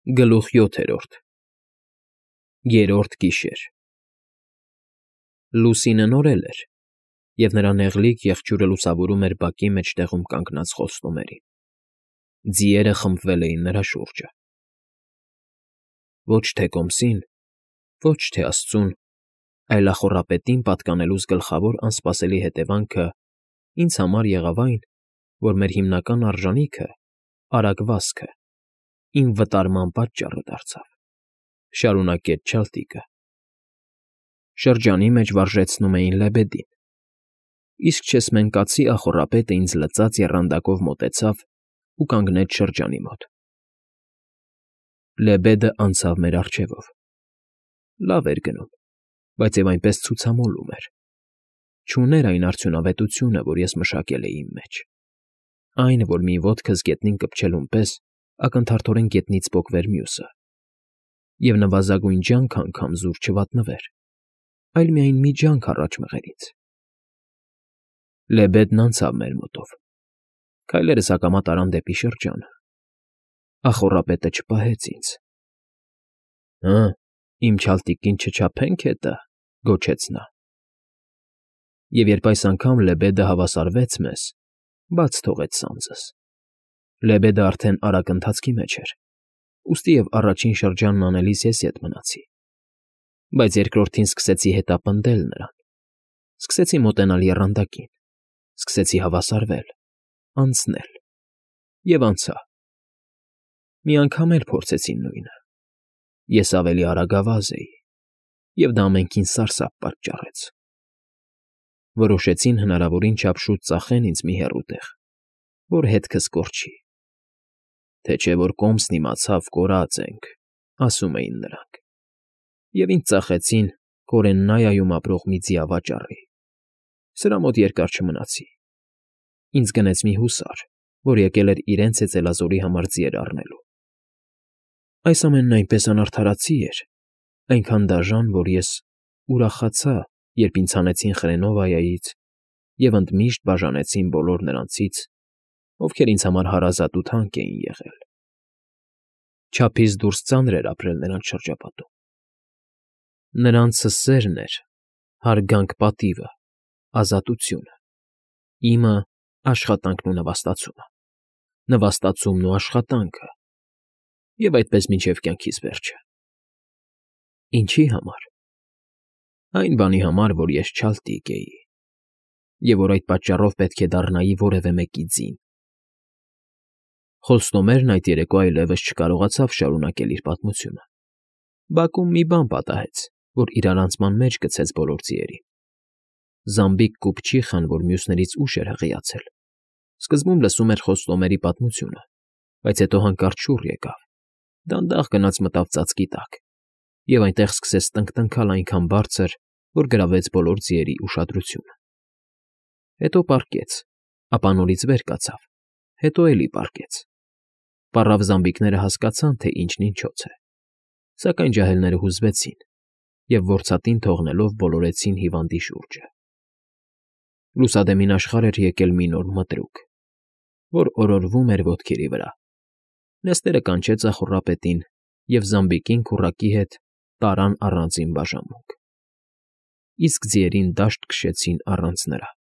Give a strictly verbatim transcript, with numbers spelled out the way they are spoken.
Գլուխ յոթերորդ Երրորդ գիշեր Լուսինը նորել էր, և նրա նեղլիկ եղջյուրը լուսավորում էր բակի մեջտեղում կանգնած խոստումերին. ձիերը խմբվել էին նրա շուրջը։ Ոչ թե կոմսին, ոչ թե աստծուն, այլ ախոռապետին պատկանելուս գլխավոր անսպասելի հետևանքը ինձ համար եղավ այն, որ մեր հիմնական արժանիքը՝ արագ վազքը, իմ վտարման պատճառը դարձավ,֊ շարունակեց չալտիկը։ Շրջանի մեջ վարժեցնում էին լեբեդին, իսկ չեսմենկացի ախոռապետը ինձ լծած եռանդակով մոտեցավ ու կանգնեց շրջանի մոտ։ Լեբեդը անցավ մեր առջևով. լավ էր գնում, բայց և այնպես ցուցամոլում էր, չուներ այն արդյունավետությունը, որ ես մշակել էի իմ մեջ, այն, որ մի ոտքս գետնին կպչելուն պես ակնթարթորեն գետնից պոկվեր մյուսը, և նվազագույն ջանք անգամ զուր չվատնվեր, այլ միայն մի ջանք առաջ մղեր ինձ։ Լեբեդն անցավ մեր մոտով, քայլերս ակամա տարան դեպի շրջանը, ախոռապետը չպահեց ինձ։ ֊ Հը, իմ չալտիկին չչափենք հետը,֊ գոչեց նա։ Եվ երբ այս անգամ լեբեդը հավասարվեց մեզ, բաց թողեց սանձս։ Լեբեդը արդեն արագ ընթացքի մեջ էր, ուստի և առաջին շրջանն անելիս ես ետ մնացի, բայց երկրորդին սկսեցի հետապնդել նրան, սկսեցի մոտենալ եռանդակին, սկսեցի հավասարվել, անցնել և անցա։ Մի անգամ էլ փորձեցի նույնը. ես ավելի արագավազ էի, և դա ամենքին սարսափ պատճառեց։ Որոշեցին հնարավորին չափ շուտ ծախեն ինձ մի հեռու տեղ, որ հետքս կորչի։ Թե չէ որ կոմսն իմացավ՝ կորած ենք, ասում էին նրանք, և ինձ ծախեցին Կորեննայայում ապրող մի ձիավաճառի։ Սրա մոտ երկար չմնացի, ինձ գնեց մի հուսար, որ եկել էր իրենց հեծելազորի համար ձիեր առնելու։ Այս ամենն այնպես անարդարացի էր, այնքան դաժան, որ ես ուրախացա, երբ ինձ հանեցին Խրենովայայից և ընդմիշտ բաժանեցին բոլոր նրանցից, ովքեր ինձ համար հարազատ ու թանկ էին եղել։ Չափից դուրս ծանր էր ապրել նրանց շրջապատում։ Նրանցը սերն էր, հարգանք պատիվը, ազատությունը, իմը՝ աշխատանքն ու նվաստացումը, նվաստացումն ու աշխատանքը, և այդպես մինչև կյանքիս վերջը։ Ինչի՞ համար։ Այն բանի համար, որ ես չալտիկ էի, և որ այդ պատճառով պետք է դառնայի որևէ մեկի ձին։ Խոստումերն այդ երեկո այլևս չկարողացավ շարունակել իր պատմությունը։ Բակում մի բան պատահեց, որ իրարանցման մեջ գցեց բոլոր ձիերին։ Զամբիկ կուպչիխան, որ մյուսներից ուշ էր հղիացել, սկզբում լսում էր խոստումերի պատմությունը, բայց հետո հանկարծ շուռ եկավ, դանդաղ գնաց մտավ ծածկի տակ և այնտեղ սկսեց տնկտնքալ այնքան բարձր, որ գրավեց բոլոր ձիերի ուշադրությունը։ Հետո պառկեց, ապա նորից վեր կացավ, հետո էլի պառկեց։ Պառավ զամբիկները հասկացան, թե ինչն ինչոց է, սակայն ջահելները հուզվեցին և որցատին թողնելով բոլորեցին հիվանդի շուրջը։ Լուսադեմին աշխարհ էր եկել մի նոր մտրուկ, որ օրորվում էր ոտքերի վրա։ Նեստերը կանչեց ախոռապետին, և զամբիկին քուռակի հետ տարան առանձին բաժանմունք, իսկ ձիերին դաշտ քշեցին առանց նրա։